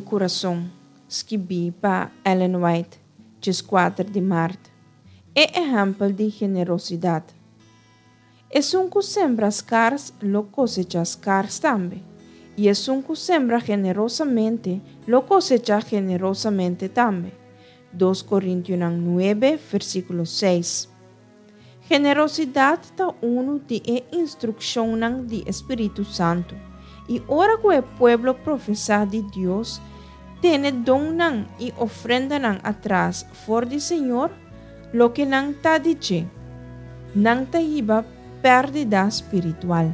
di Kurason, skibí pa Ellen White, 14 di mart. E ehèmpel di generosidat. Esun ku sembra skars lo kosechá skars tambe, i esun ku sembra generosamente lo kosechá generosamente tambe. 2 Korintionan 9, versíkulo 6. Generosidat ta unu di e instrukshonnan di e Spiritu Santu, i ora ku e pueblo profesá di Dios tene donnan i ofrendanan atras for di Señor, loke nan ta di dje, nan ta hiba pèrdida spiritual.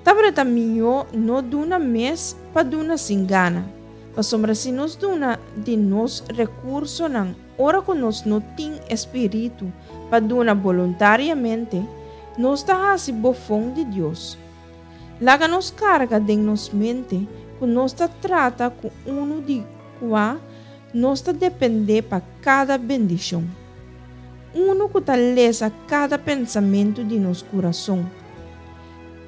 Tabata mihó no duna mes pa duna sin gana, pasobra si nos duna di nos rekursonan ora ku nos no tin e spiritu pa duna boluntariamente, nos ta hasi bofon di Dios. Laga nos karga den nos mente ku nos ta trata ku unu di kua nos ta dependé pa kada bendishon. Unu ku ta lesa kada pensamentu di nos kurason,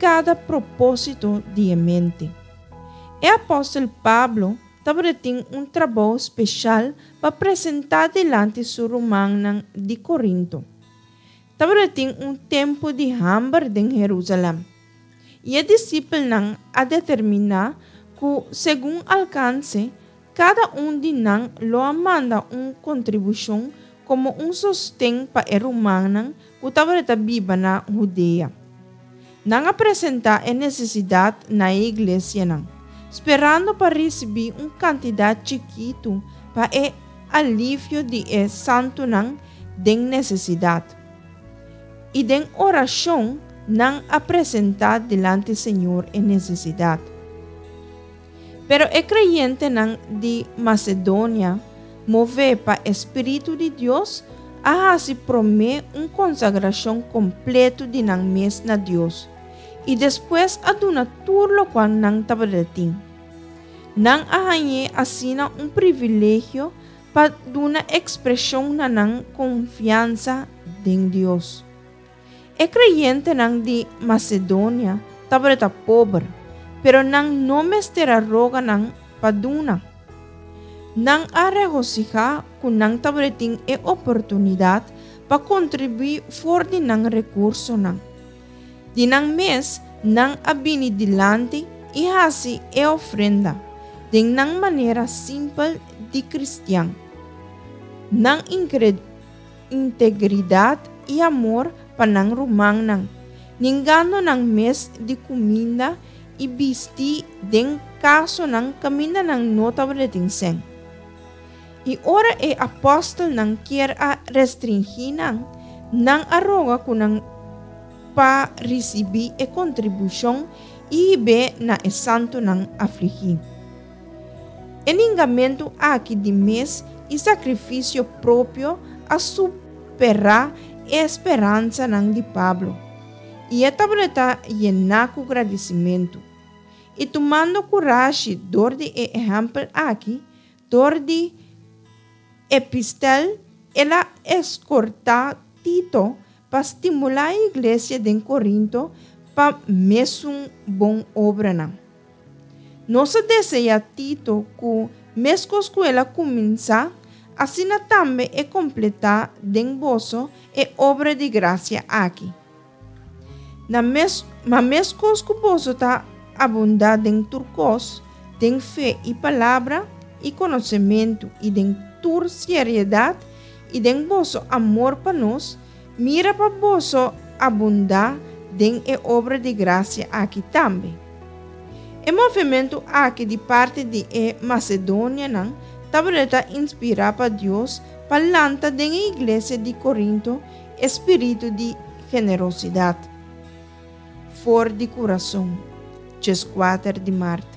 kada propósito di e mente. E apòstel Pablo tabatin un trabou speshal pa presentá dilanti su rumannan di Korinto. Tabatin un tempu di hamber den Herúsalèm, i e disipelnan a determiná ku segun alkanse, kada un di nan lo a manda un kontribushon komo un sosten pa e rumannan ku tabata biba na Hudea. Nan a presentá e nesesidat na e iglesianan, sperando pa risibí un kantidat chikitu pa e alivio di e santunan den nesesidat. I den orashon nan a presentá dilanti Señor e nesesidat. Pero e kreyentenan di Masedonia, mové pa e spiritu di Dios, a hasi promé un konsagrashon kompletu di nan mes na Dios, i despues a duna tur lokual nan tabata tin. Nan a hañ'é asina un privilegio pa duna ekspreshon na nan konfiansa den Dios. E kreyentenan di Masedonia tabata pober, pero nan no mester a roga nan pa duna. Nan a regosihá ku nan tabatin e oportunidat pa kontribuí for di nan rekursonan. Di nan mes nan a bini dilanti i hasi e ofrenda, den nan manera simpel di kristian. Nan integridat i amor pa nan rumannan, ningando nan mes di kuminda i bisti den kasonan kaminda nan no tabatin sèn. I ora e apòstelnan kier a restringí nan, nan a roga ku nan pa risibí e kontribushon i hib'é na e santunan afligí. E ningamentu aki di mes i sakrifisio propio a superá e speransanan di Pablo, i e tabata yená ku gradisimentu. I tumando kurashi dor di e ehèmpel aki, dor di epistel el a eskortá Tito pa stimulá e iglesia den Korinto pa mesun bon obranan. Nos a deseá Tito ku, meskos ku el a kuminsá, asina tambe e kompletá den boso e obra di grasia aki. Na mes, ma meskos ku boso ta abundá den tur kos, den fe i palabra i konosementu i den tur sieriedat i den boso amor pa nos, mira pa boso abundá den e obra di grasia aki tambe. E movementu aki di parti di e masedonianan tabata inspirá pa Dios pa lanta den e iglesia di Korinto e spiritu di generosidat. For di kurason, 14 di mart.